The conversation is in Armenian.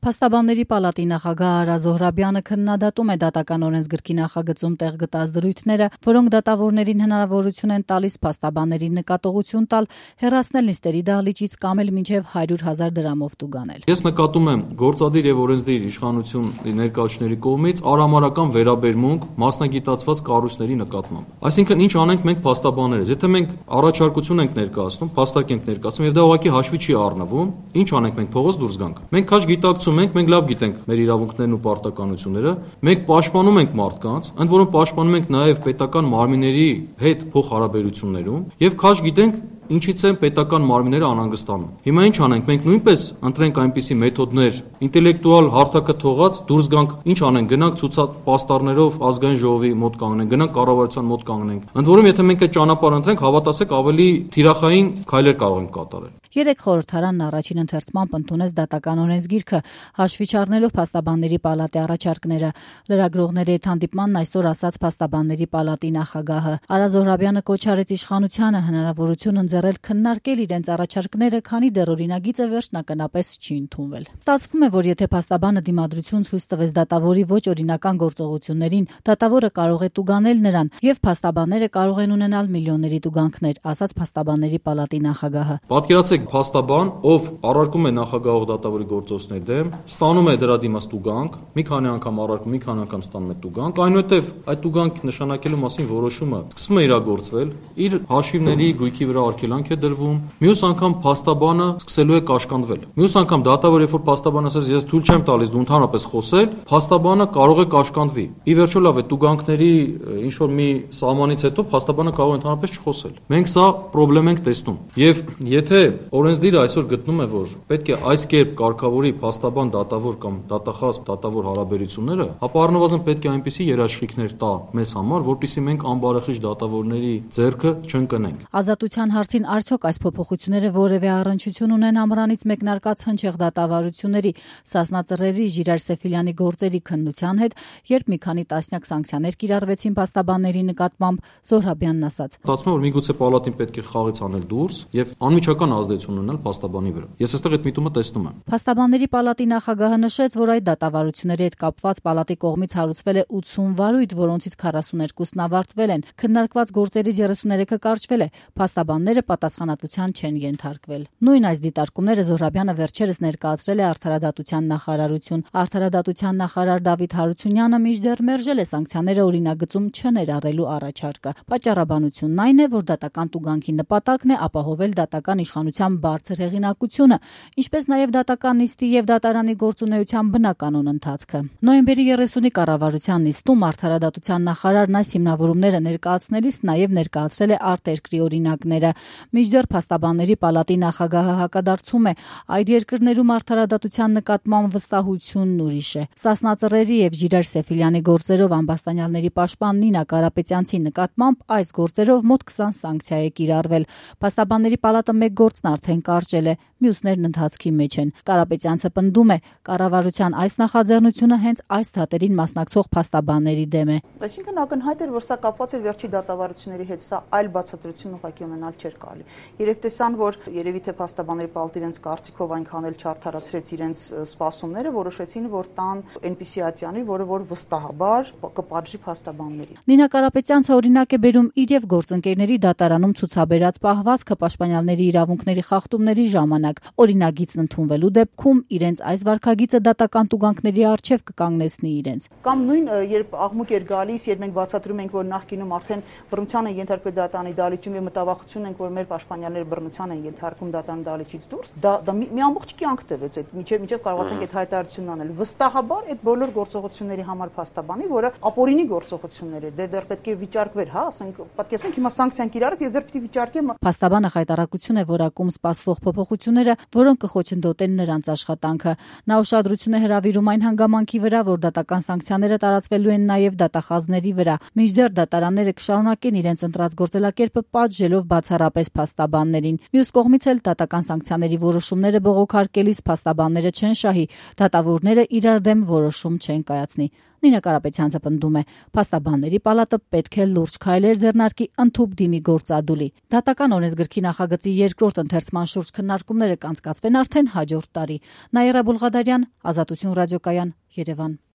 Փաստաբանների պալատի նախագահ Արա Զոհրաբյանը քննադատում է դատական օրենսգրքի նախագծում տեղ գտած դրույթները, որոնք դատավորներին հնարավորություն են տալիս փաստաբաններին նկատողություն տալ, հեռացնել նիստերի դահլիճից կամ էլ մինչև 100,000 դրամով տուգանել։ Ես նկատում եմ գործադիր եւ օրենսդիր իշխանություն ներկայացուցիչների կողմից արհամարհական վերաբերմունք մասնագիտացված կառույցների նկատմամբ։ Այսինքն ինչ անենք մենք փաստաբաններս, եթե մենք առաջարկություն ենք ներկայացնում, փաստակ ենք ներկայացնում եւ դա ուղղակի հաշվի չի առնվում, ինչ անենք մենք փողոց դուրս գանք։ Մենք քաջ գիտակցում մենք լավ գիտենք մեր իրավունքներն ու պարտականությունները, մենք պաշտպանում ենք մարդկանց, ընդ որում պաշտպանում ենք նաև պետական մարմինների հետ փոխհարաբերություններում եւ քաջ գիտենք ինչից են պետական մարմինները անհանգստանում։ Հիմա ինչ անենք, մենք նույնպես ընտրենք այնպիսի մեթոդներ, ինտելեկտուալ հարթակը թողած դուրս գանք, ինչ անենք, գնանք ցուցապաստառներով ազգային ժողովի մոտ կանգնենք, գնանք կառավարության մոտ կանգնենք։ Ընդ որում եթե մենք այդ ճանապարհը ընտրենք, հավատացեք ավելի թիրախային քայլեր կարող ենք կատարել։ Երեք խորհրդարանն առաջին ընթերցմամբ ընդունեց դատական օրենսգիրքը, հաշվի չառնելով փաստաբանների պալատի առաջարկները։ Լրագրողների հետ հանդիպմանն այսօր ասաց փաստաբանների պալատի նախագահը։ Արա Զոհրաբյանը կոչ արեց իշխանությանը հնարավորություն ընձեռել քննարկել իրենց առաջարկները, քանի դեռ օրինագիծը վերջնականապես չի ընդունվել։ Ստացվում է, որ եթե փաստաբանը դիմադրություն ցույց տվեց դատավորի ոչ օրինական գործողություններին, դատավորը կարող է տուգանել նրան, եւ փաստաբանները կարող են ունենալ միլիոնների տուգանքներ, ասաց փաստաբանների պալատի նախագահը։ Պատկերացրեք փաստաբան, ով առարկում է նախագահող դատավորի գործողությունների դեմ, ստանում է դրա դիմաց տուգանք, մի քանի անգամ առարկում, մի քանի անգամ ստանում է տուգանք, այնուհետև այդ տուգանք նշանակելու մասին որոշումը սկսվում է իրագործվել, իր հաշիվների գույքի վրա արգելանք է դրվում, մյուս անգամ փաստաբանը սկսելու է կաշկանդվել։ Մյուս անգամ դատավորը, երբ որ փաստաբանը ասես ես թույլ չեմ տալիս դու ընդհանրապես խոսել, փաստաբանը կարող է կաշկանդվի։ Ի վերջո լավ է տուգանքների ինչ որ մի սահմանից հետո փաստաբանը կարող է ընդհանրապես չխոսել։ Մենք սա խնդրեմ ենք տեսնում։ Եվ եթե օրենսդիրը այսօր գտնում է, որ պետք է այս կերպ կարգավորի փաստաբան դատավոր կամ դատախազ դատավոր հարաբերությունները, ապա առնվազն պետք է այնպիսի երաշխիքներ տա մեզ համար, որպեսզի մենք անբարեխիղճ դատավորների ձեռքը չընկնենք։ Ազատության հարցին արդյոք այս փոփոխությունները որևէ առնչություն ունեն ամռանից մեկնարկած հնչեղ դատավարությունների, Սասնա Ծռերի, Ժիրայր Սեֆիլյանի գործերի քննության հետ, երբ մի քանի տասնյակ սանկցիաներ կիրառվեցին փաստաբանների նկատմամբ, Զոհրաբյանն ասաց. Ստացվում է, որ միգուցե պալատին պետք է խաղից անել դուրս եւ անմիջական ազդեցություն ունենալ փաստաբանի վրա։ Ես այստեղ այդ միտումը տեսնում եմ։ Փաստաբանների պալատի նախագահը նշեց, որ այդ դատավարությունների հետ կապված պալատի կողմից հարուցվել է 80 վարույթ, որոնցից 42-ն ավարտվել են։ Քննարկված գործերից 33-ը կարճվել է։ Փաստաբանները պատասխանատվության չեն ենթարկվել։ Նույն այս դիտարկումները Զոհրաբյանը վերջերս ներկայացրել է Արդարադատության նախարարություն։ Արդարադատության նախարար Դավիթ Հարությունյանը մինչդեռ մերժել է սանկցիաները օրինագծում չներառելու առաջարկը։ Պատճառաբանությունն այն է, որ դատական տուգանքի նպատակն է ապահովել դատական իշխանության բարձր հեղինակությունը, ինչպես նաև դատական նիստի եւ դատարանի գործունեության բնականոն ընթացքը։ Նոյեմբերի 30-ի կառավարության նիստում Արդարադատության նախարարն այս հիմնավորումները ներկայացնելիս նաև ներկայացրել է արտերկրի օրինակները։ Մինչդեռ փաստաբանների պալատի նախագահը հակադարձում է, այդ երկրներում արդարադատության նկատմամբ վստահությունն ուրիշ է։ Սասնա Ծռերի եւ Ժիրայր Սեֆիլյանի գործերով ամբաստանյալների պաշտպան Նինա Կարապետյանցի նկատմամբ այս գործերով մոտ 20 սանկցիա է կիրառվել։ Փաստաբանների պալատը մեկ գործն արդեն կարճել է, մյուսներն ընթացքի մեջ են։ Կարապետյանցը պնդում է, կառավարության այս նախաձեռնությունը հենց այս թատերին մասնակցող փաստաբանների դեմ է։ Այսինքն ակնհայտ էր, որ սա կապված էր վերջի դատավարությունների հետ, սա այլ բացատրություն ուղղակի ունենալ չէր կարելի։ Երբ տեսան, որ երևի թե փաստաբանների պալատը իրենց կարծիքով այնքան էլ չարդարացրեց իրենց սպասումները, որոշեցին, որ տան այնպիսի ատյանի, որը որ վստահաբար կպատժի փաստաբաններին։ Նինա Կարապետյանցը օրինակ է բերում իր եւ գործընկերների դատարանում ցուցաբերած պահվածքը պաշտպանյալների իրավունքների խախտումների ժամանակ։ Օրինագիծն ընդունվելու դեպքում իրենց այս վարքագիծը դատական տուգանքների առջև կկանգնեցնի իրենց։ Կամ նույն երբ աղմուկ էր գալիս, երբ մենք բացատրում ենք, որ նախկինում արդեն բռնության են ենթարկվել դատարանի դահլիճում եւ մտավախություն ենք, որ մեր պաշտպանյալները բռնության են ենթարկում դատարանի դահլիճից դուրս, դա մի ամբողջ կյանք տևեց այդ միջև կարողացանք այդ հայտարարությունն անել։ Վստահաբար այդ բոլոր գործողությունների համար փաստաբանի, որը ապօրինի գործողություններ էր, դեռ պետք է վիճարկվեր, հա, ասենք, պատկերացնենք հիմա սանկցիան կիրառած, ես դեռ պիտի վիճարկեմ։ Փաստաբանը խայտարակություն է որակում սպասվող փոփոխությունները, որոնք կխոչընդոտեն նրանց աշխատանքը։ Նա ուշադրություն է հրավիրում այն հանգամանքի վրա, որ դատական սանկցիաները տարածվելու են նաև դատախազների վրա։ Մինչդեռ դատարանները կշարունակեն իրենց ընտրած գործելակերպը պատժելով բացառապես փաստաբաններին։ Մյուս կողմից էլ դատական սանկցիաների որոշումները բողոքարկելիս փաստաբանները չեն շահի, դատավորները իրար դեմ որոշում չեն կայացնի։ Նինա Կարապետյանցը պնդում է, փաստաբանների պալատը պետք է լուրջ քայլեր ձեռնարկի ընդհուպ դիմի գործադուլի։ Դատական օրենսգրքի նախագծի երկրորդ ընթերցման շուրջ քննարկումները կանցկացվեն արդեն հաջորդ տարի։ Նաիրա Բուլղադարյան, Ազատություն ռադիոկայան, Երևան։